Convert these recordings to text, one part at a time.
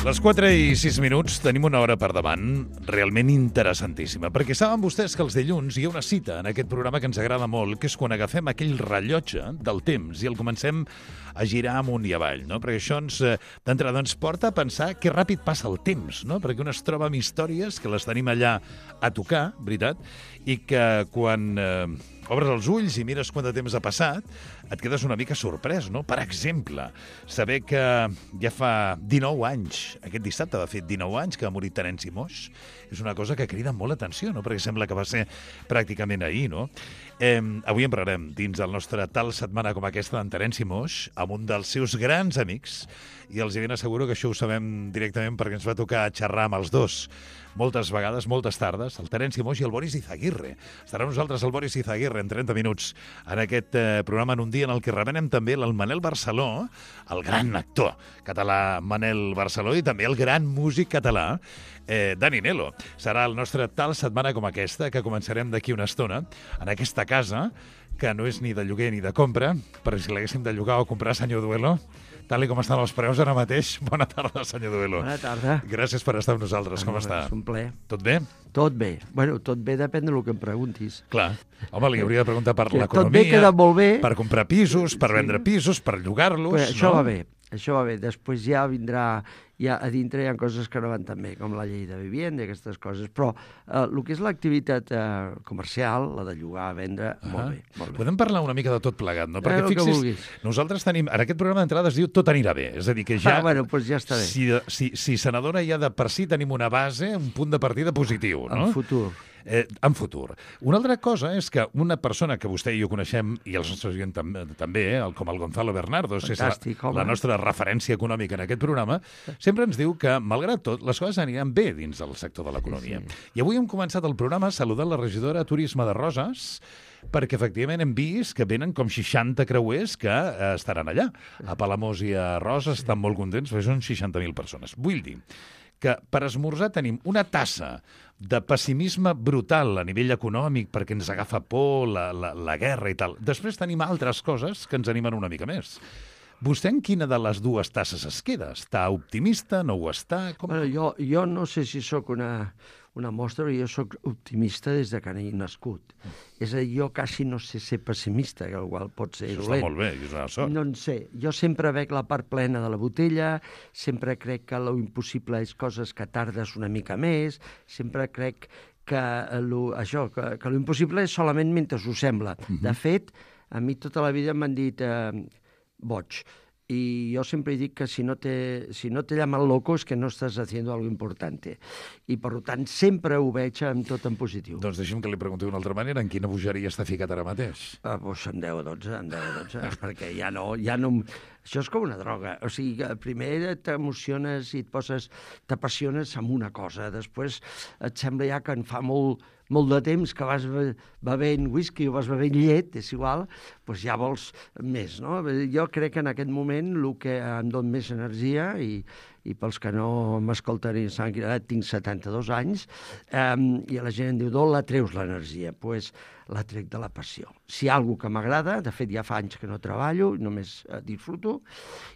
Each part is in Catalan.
Les 4:06 tenim una hora per davant realment interessantíssima, perquè saben vostès que els dilluns hi ha una cita en aquest programa que ens agrada molt, que és quan agafem aquell rellotge del temps i el comencem a girar amunt i avall, no? Perquè això d'entrada ens porta a pensar que ràpid passa el temps, no? Perquè un es troba amb històries que les tenim allà a tocar, veritat, i que quan obres els ulls i mires quant de temps ha passat, et quedes una mica sorprès, no? Per exemple, saber que ja fa 19 anys, aquest dissabte va fer 19 anys que va morir Terenci Moix, és una cosa que crida molt l'atenció, no? Perquè sembla que va ser pràcticament ahir, no? Avui en parlarem dins el nostre tal setmana com aquesta d'en Terenci Moix, amb un dels seus grans amics, i els ben asseguro que això ho sabem directament perquè ens va tocar xerrar amb els dos moltes vegades, moltes tardes, el Terenci Moix i el Boris Izaguirre. Estarà amb nosaltres el Boris Izaguirre en 30 minuts en aquest programa, en un dia en el que revenem també el Manel Barceló, el gran actor català Manel Barceló, i també el gran músic català Dani Nelo. Serà el nostre tal setmana com aquesta, que començarem d'aquí una estona, en aquesta casa, que no és ni de lloguer ni de compra, perquè si l'haguéssim de llogar o comprar, senyor Duelo, tal com estan els preus ara mateix. Bona tarda, senyor Duelo. Bona tarda. Gràcies per estar amb nosaltres. Com està? És un plaer. Tot bé? Tot bé. Bueno, tot bé depèn del que em preguntis. Clar. Home, li hauria de preguntar per l'economia. Tot bé queda molt bé. Per comprar pisos, per vendre pisos, per llogar-los. Pues això va bé. Això va bé. Després ja vindrà... Ja a dintre hi ha coses que no van tan bé, com la llei de vivienda i aquestes coses. Però el que és l'activitat comercial, la de llogar, vendre, molt bé. Molt bé. Podem parlar una mica de tot plegat, no? Perquè fixis, nosaltres tenim... En aquest programa d'entrada es diu Tot anirà bé. És a dir, que ja... bueno, doncs ja està bé. Si se n'adona ja de per si tenim una base, un punt de partida positiu, no? En futur. En futur. Una altra cosa és que una persona que vostè i jo coneixem, i els nostres oients també, com el Gonzalo Bernardo, és la nostra referència econòmica en aquest programa, sempre ens diu que, malgrat tot, les coses aniran bé dins del sector de l'economia. Sí. I avui hem començat el programa saludant la regidora de Turisme de Roses, perquè efectivament hem vist que venen com 60 creuers que estaran allà. A Palamós i a Roses estan molt contents, perquè són 60.000 persones. Vull dir que per esmorzar tenim una tassa de pessimisme brutal a nivell econòmic perquè ens agafa por, la guerra i tal. Després tenim altres coses que ens animen una mica més. Vostè en quina de les dues tasses es queda? Està optimista? No ho està? Bueno, jo no sé si sóc una mostra, però jo sóc optimista des de que he nascut. És a dir, jo quasi no sé ser pessimista, que igual pot ser dolent. Això està molt bé, és una sort. No en sé. Jo sempre veig la part plena de la botella, sempre crec que lo impossible és coses que tardes una mica més, sempre crec que lo impossible és solament mentre ho sembla. De fet, a mi tota la vida m'han dit boig. Y yo siempre digo que si no te llaman loco es que no estás haciendo algo importante. I, per tant, sempre ho veig amb tot en positiu. Doncs deixi'm que li pregunti d'una altra manera, en quina bogeria està ficat ara mateix? Doncs en 10 o 12, perquè ja no... Això és com una droga. O sigui, primer t'emociones i t'apassiones amb una cosa. Després et sembla ja que en fa molt de temps que vas bevent whisky o vas bevent llet, és igual, doncs ja vols més, no? Jo crec que en aquest moment el que em dona més energia, i pels que no m'escolten i s'han cridat, tinc 72 anys, i la gent em diu, d'on la treus l'energia? Doncs la trec de la passió. Si hi ha alguna que m'agrada, de fet ja fa anys que no treballo, només disfruto,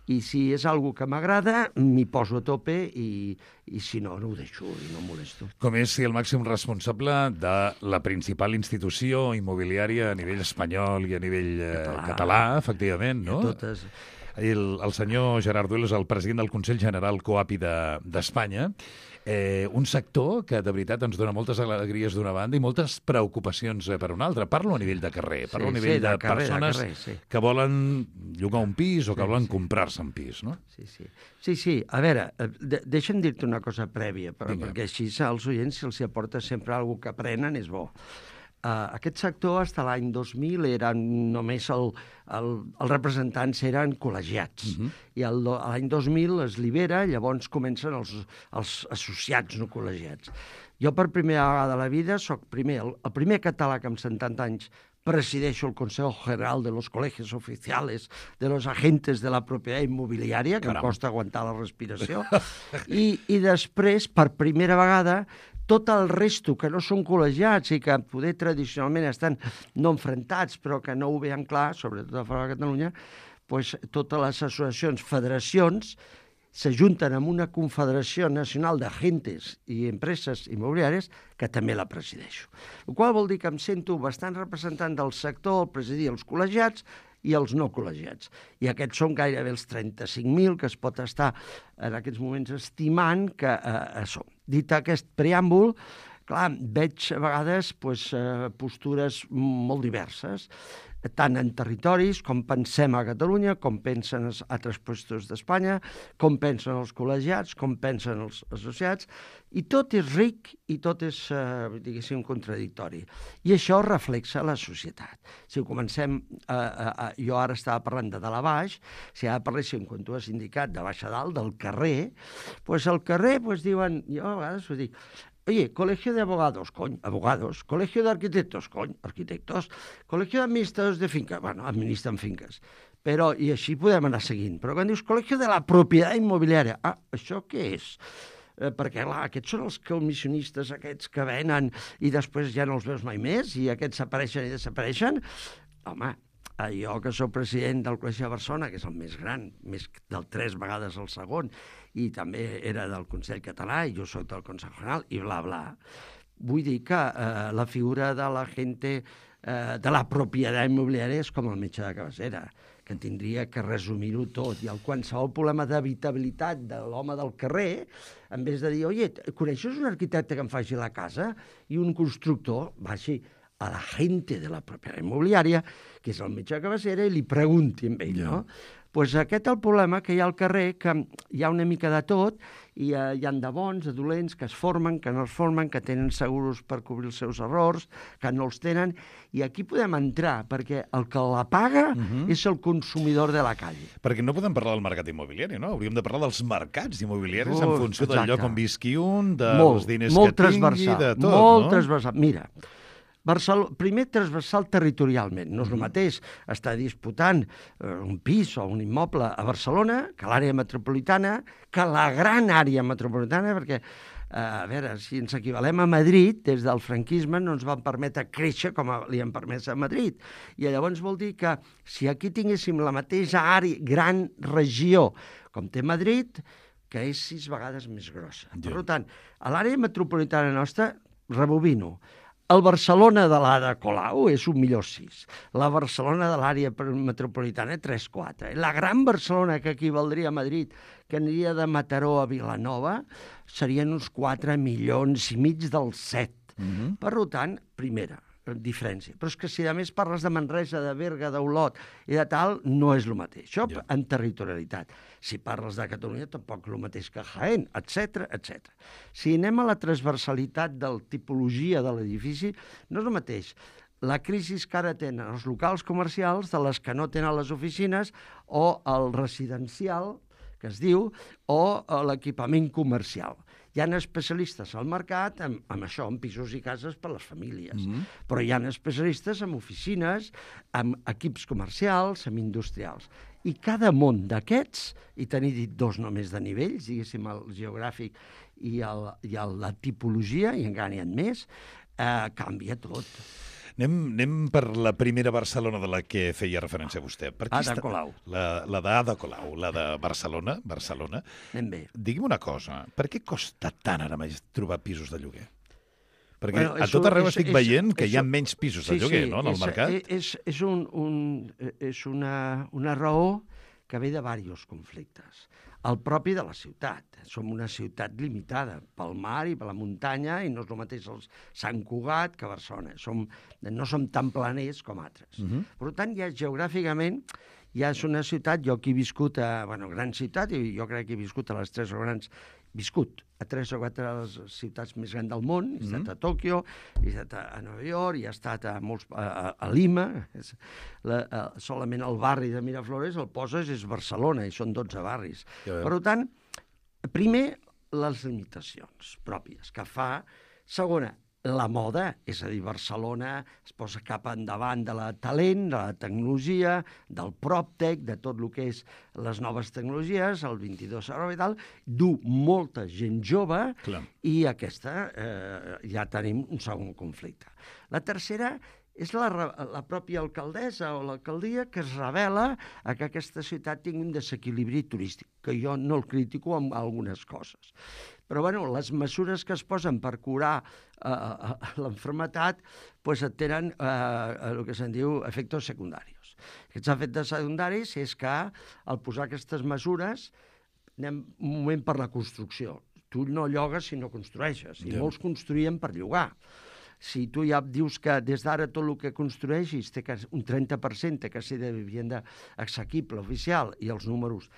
i si és alguna que m'agrada, m'hi poso a tope i si no, no ho deixo i no em molesto. Com és ser el màxim responsable de la principal institució immobiliària a nivell espanyol i a nivell català, efectivament, no? Totes. El senyor Gerard Duelo és el president del Consell General COAPI d'Espanya, un sector que de veritat ens dona moltes alegries d'una banda i moltes preocupacions per una altra. Parlo a nivell de carrer, parlo a nivell de persones que volen llogar un pis o que volen comprar-se un pis, no? Sí. A veure, deixa'm dir-te una cosa prèvia, perquè així als oients se'ls aporta sempre alguna cosa que aprenen, és bo. Aquest sector, fins a l'any 2000, només els representants eren col·legiats. I l'any 2000 es libera, llavors comencen els associats no col·legiats. Jo, per primera vegada a la vida, soc el primer català que amb 70 anys presideixo el Consejo General de los Colegios Oficiales de los Agentes de la Propiedad Inmobiliaria, que em costa aguantar la respiració, i després, per primera vegada, tot el resto que no són col·legiats i que poder tradicionalment estan no enfrontats però que no ho veien clar, sobretot a fora de Catalunya, doncs totes les associacions, federacions, s'ajunten amb una Confederació Nacional d'Agentes i Empreses Immobiliàries que també la presideixo. El qual vol dir que em sento bastant representant del sector, el presidir els col·legiats i els no col·legiats. I aquests són gairebé els 35.000 que es pot estar en aquests moments estimant que som. Dit aquest preàmbul, clar, veig a vegades postures molt diverses, tant en territoris, com pensem a Catalunya, com pensen els altres puestos d'Espanya, com pensen els col·legiats, com pensen els associats, i tot és ric i tot és, diguéssim, contradictori. I això reflexa la societat. Si ho comencem, jo ara estava parlant de dalt a baix, si ara parléssim, quan tu has indicat, de baix a dalt, del carrer, doncs al carrer diuen, jo a vegades ho dic, oye, colegio de abogados, coño, abogados. Colegio de arquitectos, coño, arquitectos. Colegio de administradors de finca, bueno, administren finques. Però, i així podem anar seguint. Però quan dius colegio de la propietat immobiliària, això què és? Perquè, clar, aquests són els comissionistes aquests que venen i després ja no els veus mai més i aquests apareixen i desapareixen. Home, jo que sóc president del Col·legi de Barcelona, que és el més gran, més del 3 vegades el segon, i també era del Consell Català, i jo soc del Consell General, i bla, bla. Vull dir que la figura de la gente de la propietat immobiliària és com el metge de cabecera, que tindria que resumir-ho tot. I el qualsevol problema d'habitabilitat de l'home del carrer, en vez de dir, oye, coneixes un arquitecte que em faci la casa? I un constructor va així a la gente de la propietat immobiliària, que és el metge de cabecera, i li pregunti amb ell, no? Doncs aquest és el problema que hi ha al carrer, que hi ha una mica de tot, i hi ha de bons, de dolents, que es formen, que no es formen, que tenen seguros per cobrir els seus errors, que no els tenen, i aquí podem entrar, perquè el que la paga és el consumidor de la calle. Perquè no podem parlar del mercat immobiliari, no? Hauríem de parlar dels mercats immobiliaris en funció del lloc on visqui un, dels diners que tingui, de tot, no? Molt transversal. Mira, primer transversal territorialment. No és el mateix estar disputant un pis o un immoble a Barcelona que a l'àrea metropolitana, que la gran àrea metropolitana, perquè, a veure, si ens equivalem a Madrid, des del franquisme no ens van permetre créixer com li han permès a Madrid. I llavors vol dir que si aquí tinguéssim la mateixa àrea, gran regió com té Madrid, que és 6 vegades més grossa. Per tant, a l'àrea metropolitana nostra, rebobino, el Barcelona de l'Ada Colau és 1.600.000. La Barcelona de l'àrea metropolitana 3-4. La gran Barcelona, que equivaldria a Madrid, que aniria de Mataró a Vilanova, serien uns 4,5 milions dels 7. Per tant, primera diferència. Però és que si a més parles de Manresa, de Berga, d'Olot i de tal, no és el mateix. Això en territorialitat. Si parles de Catalunya, tampoc és el mateix que Jaén, etc etc. Si anem a la transversalitat de la tipologia de l'edifici, no és el mateix la crisi que ara tenen els locals comercials de les que no tenen les oficines o el residencial, que es diu, o l'equipament comercial. Hi ha especialistes al mercat amb això, en pisos i cases per a les famílies, però hi ha especialistes en oficines, amb equips comercials, amb industrials. I cada món d'aquests, i t'he dit 2 només de nivells, diguéssim, el geogràfic i la tipologia, i encara n'hi ha més, canvia tot. Anem per la primera Barcelona de la que feia referència vostè. Ada Colau. La d'Ada Colau, la de Barcelona. Anem bé. Digui'm una cosa, per què costa tant ara més trobar pisos de lloguer? Perquè a tot arreu estic veient que hi ha menys pisos de lloguer, no?, en el mercat. És una raó que ve de diversos conflictes. El propi de la ciutat. Som una ciutat limitada pel mar i per la muntanya i no és el mateix Sant Cugat que Barcelona. No som tan planers com altres. Per tant, geogràficament, ja és una ciutat, jo que he viscut a gran ciutat, i jo crec que he viscut a les 3 grans, a 3 o 4 de les ciutats més grans del món. He estat a Tòquio, he estat a Nova York, he estat a Lima. Solament el barri de Miraflores el poses és Barcelona, i són 12 barris. Per tant, primer, les limitacions pròpies que fa. Segona, la moda, és a dir, Barcelona es posa cap endavant de la talent, de la tecnologia, del PropTech, de tot el que és les noves tecnologies, el 22 i tal, du molta gent jove. Clar. I aquesta ja tenim un segon conflicte. La tercera és la pròpia alcaldessa o l'alcaldia que es revela a que aquesta ciutat tingui un desequilibri turístic, que jo no el critico amb algunes coses. Però bueno, les mesures que es posen per curar l'enfermetat tenen el que se'n diu efectes secundaris. Aquests efectes secundaris és que al posar aquestes mesures anem un moment per la construcció. Tu no llogues si no construeixes, i molts construïen per llogar. Si tu ja dius que des d'ara tot el que construeixis té un 30% té que ser de vivienda assequible oficial i els números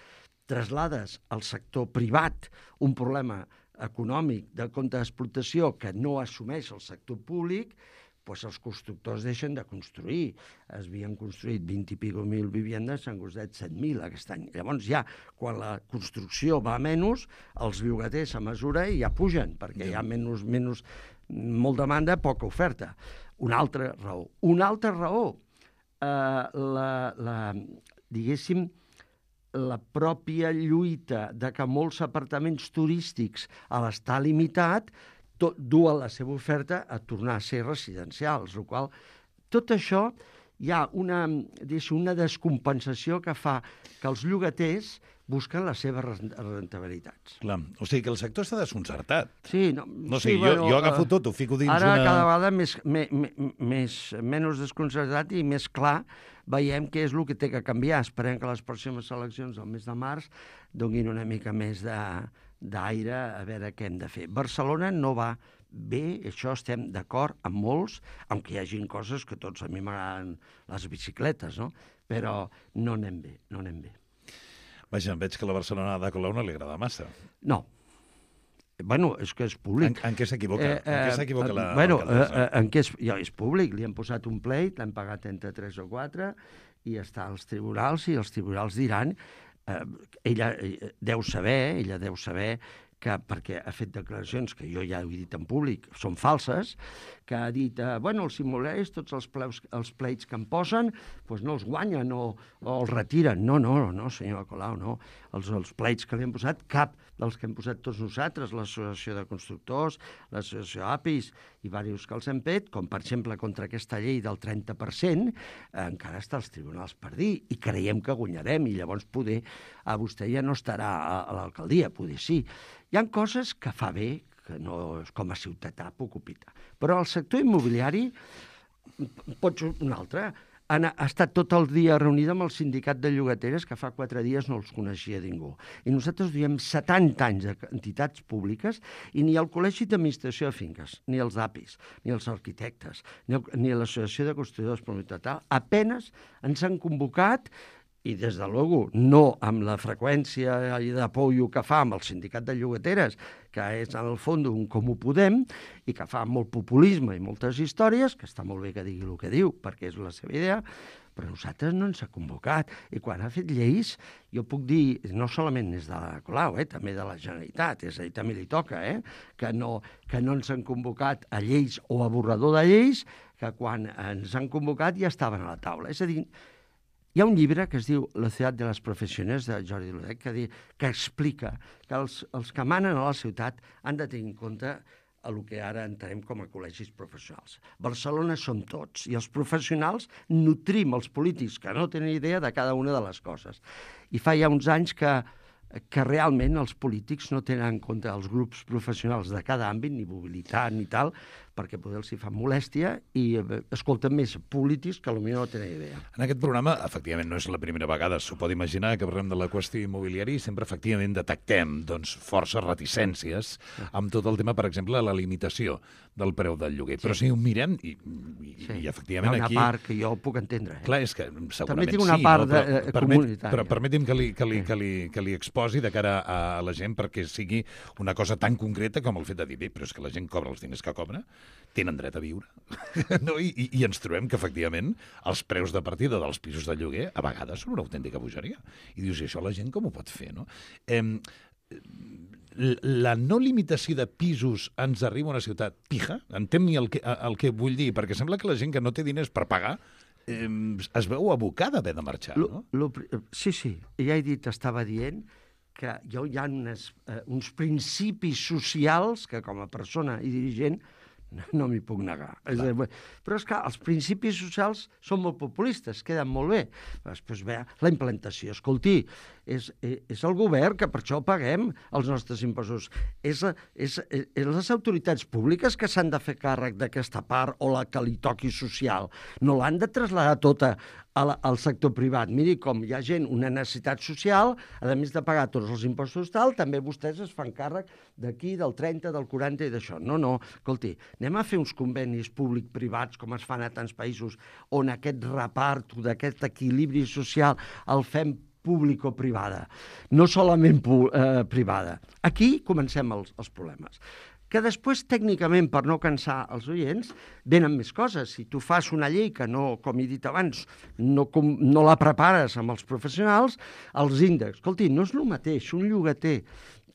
traslades al sector privat un problema econòmic de compte d'explotació que no assumeix el sector públic, doncs els constructors deixen de construir. Es havien construït 20 i pico mil viviendes, s'han construït 7.000 aquest any. Llavors ja, quan la construcció va a menys, els llogaters a mesura ja pugen, perquè hi ha molt demanda, poca oferta. Una altra raó, diguéssim, la pròpia lluita de que molts apartaments turístics a l'estar limitat duen la seva oferta a tornar a ser residencials, el qual tot això hi ha una descompensació que fa que els llogaters busquen les seves rentabilitats. Clar, o sigui que el sector està desconcertat. Sí, jo agafo tot, ho fico dins ara cada vegada menys desconcertat i més clar veiem què és el que té que canviar. Esperem que les pròximes eleccions del mes de març donin una mica més d'aire a veure què hem de fer. Barcelona no va bé, això estem d'acord amb molts, aunque hi hagi coses que tots a mi m'agraden les bicicletes, no? Però no anem bé, no anem bé. Vaja, veig que la Barcelona de Colau no li agrada massa. No. Bueno, és que és públic. En què s'equivoca? En què s'equivoca l'alcaldessa? En què és públic. Li han posat un pleit, l'han pagat entre 3 o 4, i està als tribunals, i els tribunals diran... Ella deu saber que, perquè ha fet declaracions que jo ja he dit en públic, són falses, que ha dit, els simulers, tots els pleits que em posen, doncs no els guanyen o els retiren. No, senyor Colau, no. Els pleits que li han posat, cap dels que hem posat tots nosaltres, l'Associació de Constructors, l'Associació APIS i diversos que els hem fet, com per exemple contra aquesta llei del 30%, encara està als tribunals per dir, i creiem que guanyarem, i llavors poder vostè ja no estarà a l'alcaldia, poder sí. Hi ha coses que fa bé, que no és com a ciutadà puc opinar. Però el sector immobiliari pot ser un altre. Ha estat tot el dia reunida amb el sindicat de llogateres, que fa 4 dies no els coneixia ningú. I nosaltres duiem 70 anys d'entitats públiques i ni el Col·legi d'Administració de Finques, ni els APIs, ni els arquitectes, ni l'Associació de Constructors Propietaris, apenas ens han convocat, i des de luego no amb la freqüència de apoyo que fa amb el sindicat de llogateres, que és en el fons un Comú Podem, i que fa molt populisme i moltes històries, que està molt bé que digui el que diu, perquè és la seva idea, però nosaltres no ens ha convocat. I quan ha fet lleis, jo puc dir, no solament és de la Colau, també de la Generalitat, és a dir, també li toca, que no ens han convocat a lleis o a borrador de lleis, que quan ens han convocat ja estaven a la taula. És a dir, hi ha un llibre que es diu La ciutat de les professions, de Jordi Lodec, que explica que els que manen a la ciutat han de tenir en compte el que ara entenem com a col·legis professionals. Barcelona som tots, i els professionals nutrim els polítics que no tenen idea de cada una de les coses. I fa ja uns anys que realment els polítics no tenen en compte els grups professionals de cada àmbit, ni mobilitat ni tal, perquè poder els hi fa molèstia i escolten més polítics que potser no tenen idea. En aquest programa, efectivament, no és la primera vegada, s'ho pot imaginar, que parlem de la qüestió immobiliària i sempre, efectivament, detectem forces reticències amb tot el tema, per exemple, la limitació del preu del lloguer. Però si ho mirem, i efectivament aquí... Hi ha una part que jo puc entendre. Clar, és que segurament també tinc una part comunitària. Però permeti'm que li exposi de cara a la gent perquè sigui una cosa tan concreta com el fet de dir, bé, però és que la gent cobra els diners que cobra, tenen dret a viure. No? I ens trobem que, efectivament, els preus de partida dels pisos de lloguer a vegades són una autèntica bogeria. I dius, i això la gent com ho pot fer, no? La no limitació de pisos ens arriba a una ciutat pija? Entén-me el que vull dir, perquè sembla que la gent que no té diners per pagar es veu abocada a haver de marxar, no? Sí, ja he dit, estava dient que hi ha uns principis socials que com a persona i dirigent no m'hi puc negar. Però és que els principis socials són molt populistes, queden molt bé. Després ve la implantació. Escolti, és el govern que per això paguem els nostres impostos. És les autoritats públiques que s'han de fer càrrec d'aquesta part o la que li toqui social. No l'han de traslladar tota al sector privat. Miri, com hi ha gent, una necessitat social, a més de pagar tots els impostos tal, també vostès es fan càrrec d'aquí, del 30, del 40 i d'això. No, escolti, anem a fer uns convenis públic-privats com es fan a tants països on aquest repart d'aquest equilibri social el fem público-privada, no solament privada. Aquí comencem els problemes. Que després, tècnicament, per no cansar els oients, venen més coses. Si tu fas una llei que no, com he dit abans, no la prepares amb els professionals, els índexs. Escolti, no és el mateix un llogater,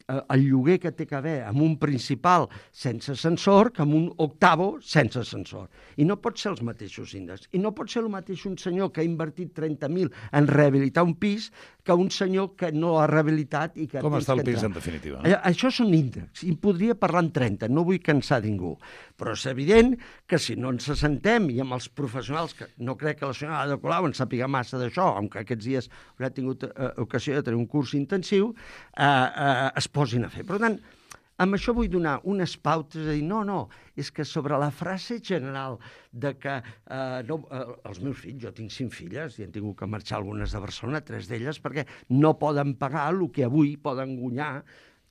el lloguer que té que haver amb un principal sense ascensor que amb un octavo sense ascensor. I no pot ser els mateixos índexs. I no pot ser el mateix un senyor que ha invertit 30.000 en rehabilitar un pis que un senyor que no l'ha rehabilitat i que... Com està el pis, en definitiva? Això són índexs. I podria parlar en 30, no vull cansar ningú. Però és evident que si no ens assentem i amb els professionals, que no crec que la senyora Ada Colau en sàpiga massa d'això, aunque aquests dies haurà tingut ocasió de tenir un curs intensiu, es posin a fer. Per tant, amb això vull donar unes pautes, de dir, no, és que sobre la frase general de que els meus fills, jo tinc 5 filles i han tingut que marxar algunes de Barcelona, 3 d'elles, perquè no poden pagar el que avui poden guanyar,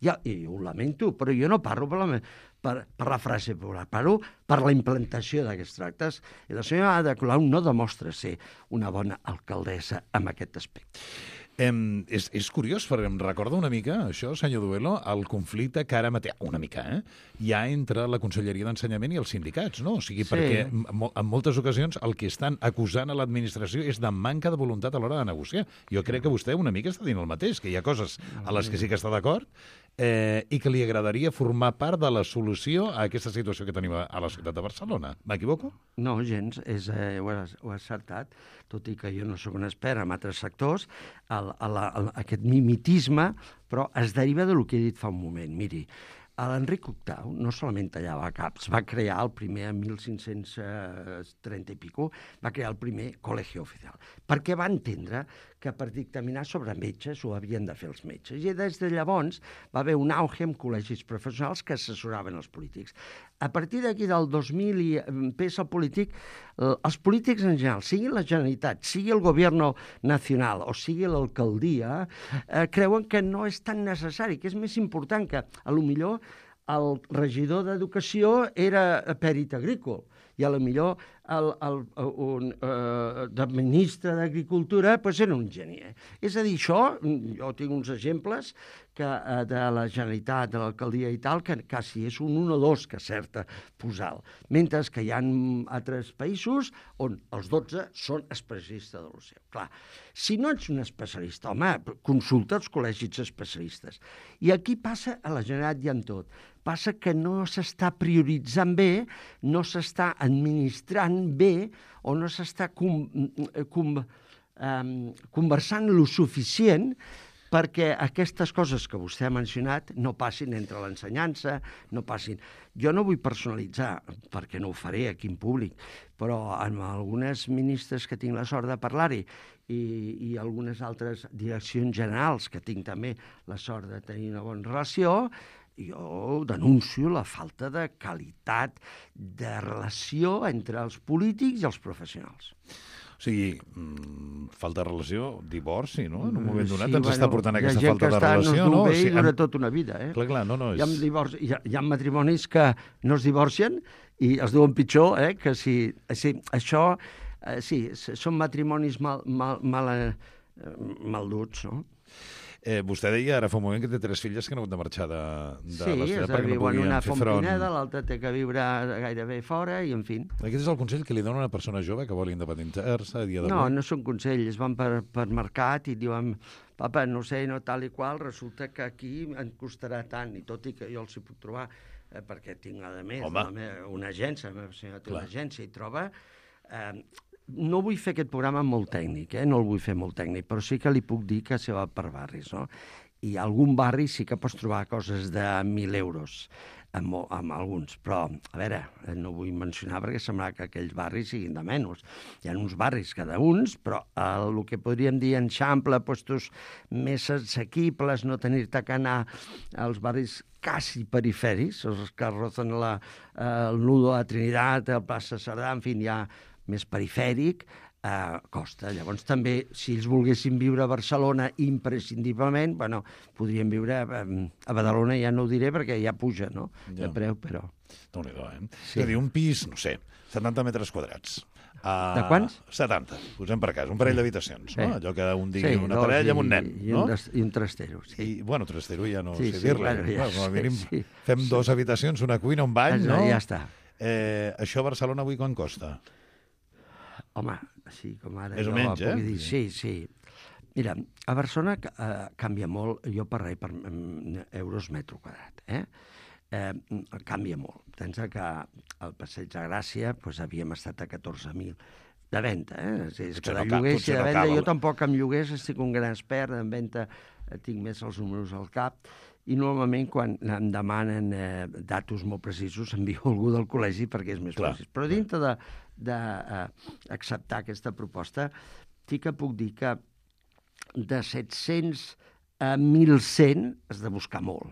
i ho lamento, però jo no parlo per la frase popular, parlo per la implantació d'aquests tractes. I la senyora Ada Colau no demostra ser una bona alcaldessa en aquest aspecte. És curiós, perquè em recorda una mica, això, senyor Duelo, el conflicte que ara mateix, una mica, hi ha entre la Conselleria d'Ensenyament i els sindicats, no? O sigui, perquè en moltes ocasions el que estan acusant a l'administració és de manca de voluntat a l'hora de negociar. Jo crec que vostè una mica està dient el mateix, que hi ha coses a les que sí que està d'acord i que li agradaria formar part de la solució a aquesta situació que tenim a la ciutat de Barcelona. M'equivoco? No, gens, ho has acertat, tot i que jo no sóc un expert en altres sectors, aquest mimetisme, però es deriva del que he dit fa un moment. Miri, l'Enric VIII no solament tallava caps, va crear el primer, en 1530 i pico, va crear el primer col·legi oficial, perquè va entendre que per dictaminar sobre metges ho havien de fer els metges. I des de llavors va haver un auge en col·legis professionals que assessoraven els polítics. A partir d'aquí del 2000 i pes el polític, els polítics en general, sigui la Generalitat, sigui el Govern Nacional o sigui l'alcaldia, creuen que no és tan necessari, que és més important que, potser, el regidor d'Educació era pèrit agrícola i potser el ministre d'Agricultura era un enginyer. És a dir, això, jo tinc uns exemples de la Generalitat, de l'alcaldia i tal, que quasi és un 1 o 2 que acerta posar. Mentre que hi ha altres països on els 12 són especialistes de lo seu. Clar, si no ets un especialista, home, consulta els col·legis especialistes. I aquí passa a la Generalitat i en tot. Passa que no s'està prioritzant bé, no s'està administrant bé o no s'està conversant lo suficient perquè aquestes coses que vostè ha mencionat no passin entre l'ensenyança, no passin... Jo no vull personalitzar, perquè no ho faré aquí en públic, però amb algunes ministres que tinc la sort de parlar-hi i algunes altres direccions generals que tinc també la sort de tenir una bona relació, jo denuncio la falta de qualitat de relació entre els polítics i els professionals. O sigui, falta de relació, divorci, no? En un moment donat ens està portant aquesta falta de relació, no? Hi ha gent que està, no es diu bé i dura tota una vida, eh? Clar, no, és... Hi ha matrimonis que no es divorcien i es diuen pitjor, que si... Això, sí, són matrimonis mal duts, no? Vostè deia ara fa un moment que té 3 filles que han hagut de marxar de la ciutat perquè no podien una fer a front. Pineda, l'altra té que viure gairebé fora i, en fi. Aquest és el consell que li dona una persona jove que vol independitzar-se a dia d'avui? No és un consell, es van per mercat i diuen, papa, no sé, no tal i qual, resulta que aquí em costarà tant, i tot i que jo els hi puc trobar, perquè tinc, a més, una agència, la meva senyora té una agència i troba... No vull fer aquest programa molt tècnic, no el vull fer molt tècnic, però sí que li puc dir que se va per barris, no? I a algun barri sí que pots trobar coses de 1.000 euros. amb alguns, però, a veure, no vull mencionar perquè sembla que aquells barris siguin de menys. Hi ha uns barris cada uns, però el que podríem dir en Xample, puestos més assequibles, no tenir-te que anar als barris quasi perifèrics, els que rozan el nudo de la Trinitat, el plaça Cerdà, en fi, ja més perifèric, costa. Llavors també, si ells volguessin viure a Barcelona imprescindiblement, bueno, podrien viure a Badalona, ja no ho diré perquè ja puja, no?, de preu, però... Déu-n'hi-do, Sí. És a dir, un pis, no sé, 70 metres quadrats. De quants? 70, posem per cas, un parell d'habitacions, no? Allò que un digui una parella amb un nen, no? I un trastero, sí. I, bueno, trastero ja no sé dir-li. Bueno, ja, com a mínim fem 2 habitacions, una cuina, un bany, no? Ja està. Això a Barcelona avui quan costa? Home, així com ara... Més o menys, dir, sí. Mira, a Barcelona canvia molt, jo per euros metro quadrat, canvia molt. Pensa que al Passeig de Gràcia havíem estat a 14.000 de venda, És que de lloguer, si de venda, jo tampoc amb lloguers estic un gran expert, en venda tinc més els números al cap, i normalment quan em demanen datos molt precisos envio algú del col·legi perquè és més fàcil. Però dintre d'acceptar aquesta proposta, sí que puc dir que de 700 a 1.100 has de buscar molt.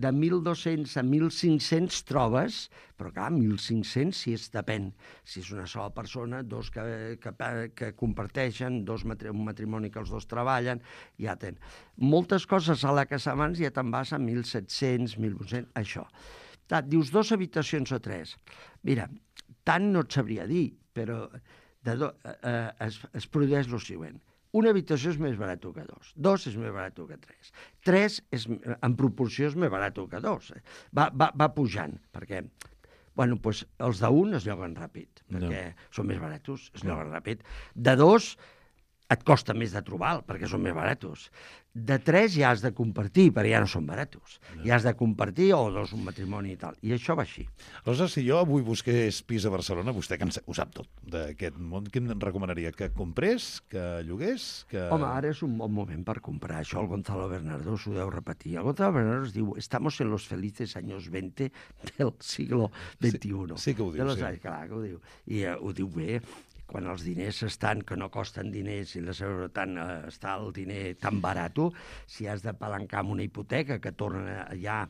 De 1.200 a 1.500 trobes, però clar, 1.500 depèn. Si és una sola persona, dos que comparteixen, un matrimoni que els dos treballen, ja tenen. Moltes coses a la casa abans ja te'n vas a 1.700, 1.800, això. Dius 2 habitacions o 3. Mira, tant no et sabria dir, però es produeix el següent. Una habitació és més barat que 2. 2 és més barat que 3. 3 en proporció és més barat que 2. Va pujant, perquè els d'un es lloguen ràpid, perquè són més barats, es lloguen ràpid. De 2 et costa més de trobar, perquè són més barats. De 3 ja has de compartir, perquè ja no són barats. Ja has de compartir, o 2 un matrimoni i tal. I això va així. Aleshores, si jo avui busqués pis a Barcelona, vostè que ho sap tot d'aquest món, què em recomanaria? Que comprés? Que llogués? Home, ara és un bon moment per comprar. Això el Gonzalo Bernardo s'ho deu repetir. El Gonzalo Bernardo es diu «Estamos en los felices años 20 del siglo XXI». Sí que ho diu, sí. Clar que ho diu. I ho diu bé. Quan els diners estan, que no costen diners, i està el diner tan barat, si has de palancar amb una hipoteca que torna ja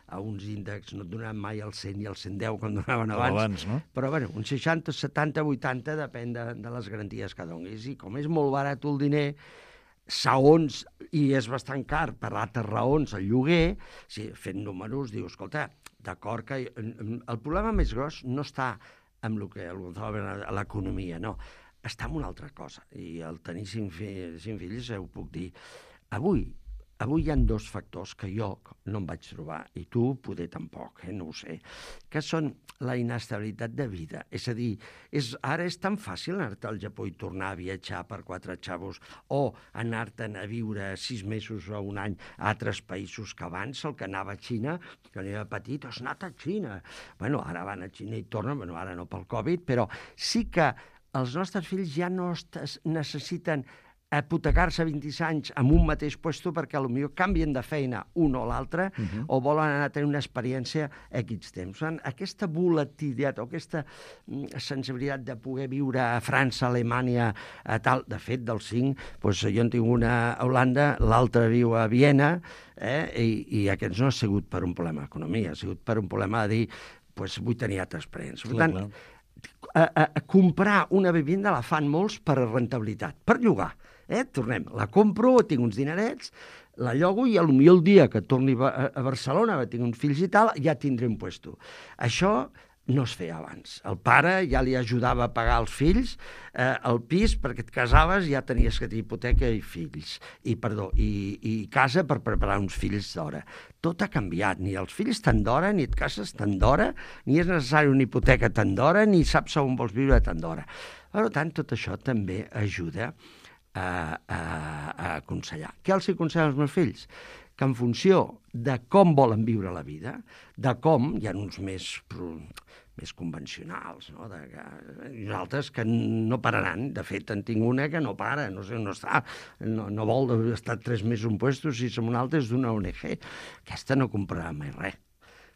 a uns índexs, no et donaven mai el 100 i el 110 quan donaven abans, no? Però bueno, un 60, 70, 80 depèn de les garanties que donis. I com és molt barat el diner, segons, i és bastant car per altres raons, el lloguer, si fent números, diu, escolta, d'acord que... El problema més gros no està amb el que el Gonzalo Bernardo, l'economia, no. Està en una altra cosa. I al tenir 5 fills, ho puc dir. Avui hi ha 2 factors que jo no em vaig trobar, i tu poder tampoc, no ho sé, que són la inestabilitat de vida. És a dir, ara és tan fàcil anar-te al Japó i tornar a viatjar per 4 xavos, o anar-te'n a viure 6 mesos o un any a altres països que abans, el que anava a Xina, que era petit, has anat a Xina. Bueno, ara van a Xina i tornen, ara no pel Covid, però sí que els nostres fills ja no necessiten hipotecar-se 26 anys en un mateix lloc perquè potser canvien de feina un o l'altre, o volen anar a tenir una experiència X temps. Aquesta volatilitat o aquesta sensibilitat de poder viure a França, Alemanya, tal, de fet, dels 5, jo en tinc una a Holanda, l'altra viu a Viena, i aquests no ha sigut per un problema d'economia, ha sigut per un problema de dir, vull tenir altres experiències. Per tant, comprar una vivenda la fan molts per rentabilitat, per llogar. Tornem, la compro, tinc uns dinerets, la llogo i potser el dia que torni a Barcelona, tinc uns fills i tal, ja tindré un lloc. Això no es feia abans. El pare ja li ajudava a pagar als fills el pis, perquè et casaves i ja tenies que tenir hipoteca i fills, i casa per preparar uns fills d'hora. Tot ha canviat, ni els fills tant d'hora, ni et cases tant d'hora, ni és necessari una hipoteca tant d'hora, ni saps on vols viure tant d'hora. Per tant, tot això també ajuda a aconsellar. Què els aconsello als meus fills? Que en funció de com volen viure la vida, de com, hi ha uns més convencionals, no? I altres que no pararan. De fet, en tinc una que no para, no sé on està, no vol estar 3 mesos en puestos, si som una altra és d'una ONG. Aquesta no comprarà mai res.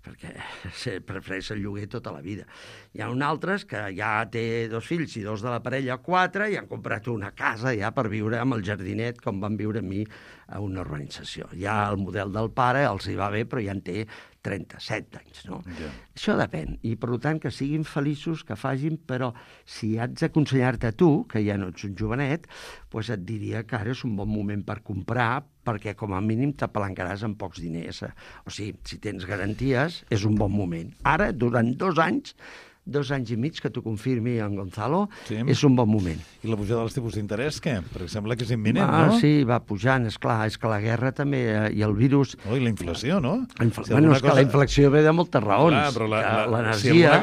perquè prefereix el lloguer tota la vida. Hi ha un altres que ja té 2 fills i 2 de la parella, 4, i han comprat una casa ja per viure amb el jardinet, com van viure amb mi a una urbanització. Ja el model del pare els hi va bé, però ja en té 37 anys, no? Yeah. Això depèn, i per tant que siguin feliços, que facin, però si haig d'aconsellar-te a tu, que ja no ets un jovenet, doncs et diria que ara és un bon moment per comprar, perquè com a mínim t'apalancaràs amb pocs diners. O sigui, si tens garanties, és un bon moment. Ara, durant 2 anys i mig, que t'ho confirmi en Gonzalo, és un bon moment. I la pujada dels tipus d'interès, què? Perquè sembla que és imminent, no? Sí, va pujant, esclar. És que la guerra també, i el virus... I la inflació, no? Bueno, és que la inflació ve de moltes raons. Clar, però l'energia...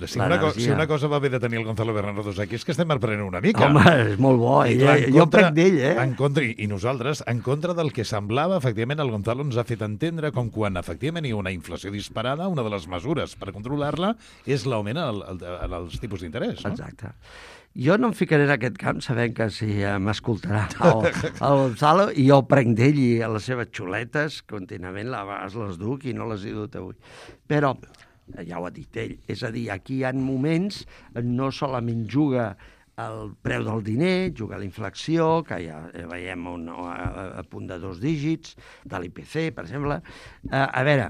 Si una cosa va bé de tenir el Gonzalo Bernardo aquí és que estem aprenent una mica. Home, és molt bo. Jo prenc d'ell, I nosaltres, en contra del que semblava, efectivament, el Gonzalo ens ha fet entendre com quan, efectivament, hi ha una inflació disparada, una de les mesures per controlar-la és l'augment en els tipus d'interès, no? Exacte. Jo no em ficaré en aquest camp sabent que si m'escoltarà el Gonzalo, i jo prenc d'ell i a les seves xuletes contínuament a vegades les duc i no les he dut avui. Però, ja ho ha dit ell, és a dir, aquí hi ha moments no solament juga el preu del diner, juga la inflació, que ja veiem a punt de 2 dígits, de l'IPC, per exemple. A veure,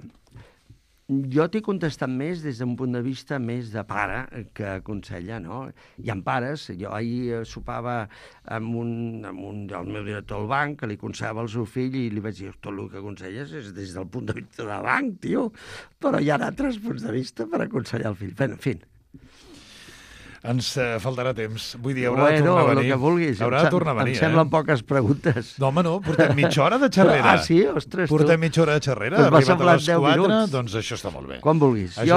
jo t'he contestat més des d'un punt de vista més de pare que aconsella, no? Hi ha pares, jo ahir sopava amb el meu director del banc, que li aconsellava al seu fill, i li vaig dir, tot el que aconselles és des del punt de vista del banc, tio, però hi ha altres punts de vista per aconsellar el fill. Bé, en fi. Ens faltarà temps. Vull dir, haurà de tornar a venir. El que vulguis. Haurà de tornar a venir, Em semblen poques preguntes. No, home, no, portem mitja hora de xerrera. Sí? Ostres, portem mitja hora de xerrera, doncs arribat a les 4, doncs això està molt bé. Quan vulguis. Jo,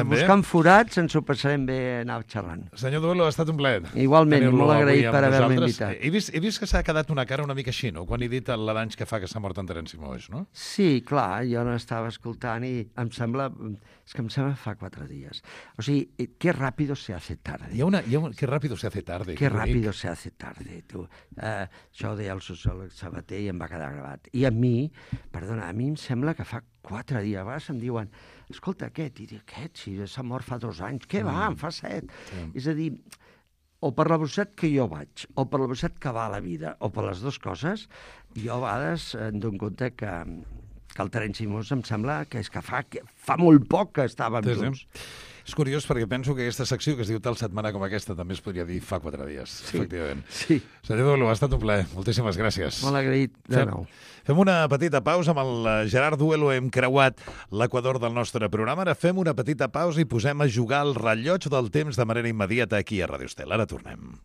buscant forats, ens ho passarem bé anar xerrant. Senyor Duelo, ha estat un plaer. Igualment, i molt agraït per haver-me invitat. He vist que s'ha quedat una cara una mica així, no?, quan he dit l'any que fa que s'ha mort en Terenci Moix, no? Sí, clar, jo no estava escoltant i em sembla fa 4 dies. O sigui, que ràpido se hace tarde. Que rápido se hace tarde. Que rápido se hace tarde, tu. Això ho deia el sociòleg Sabater i em va quedar gravat. I a mi em sembla que fa 4 dies. A vegades em diuen, escolta, aquest, i dic, si s'ha mort fa 2 anys. Què va, en fa 7. Sí. És a dir, o per la velocitat que jo vaig, o per la velocitat que va la vida, o per les dues coses, jo a vegades em dono compte que el Terenci Moix em sembla que és que fa molt poc que estàvem junts. És curiós perquè penso que aquesta secció que es diu tal setmana com aquesta també es podria dir fa 4 dies, efectivament. Sí. Senyor Duelo, ha estat un plaer. Moltíssimes gràcies. Molt agraït de nou. Fem una petita pausa. Amb el Gerard Duelo hem creuat l'equador del nostre programa. Ara fem una petita pausa i posem a jugar el rellotge del temps de manera immediata aquí a Radio Estel. Ara tornem.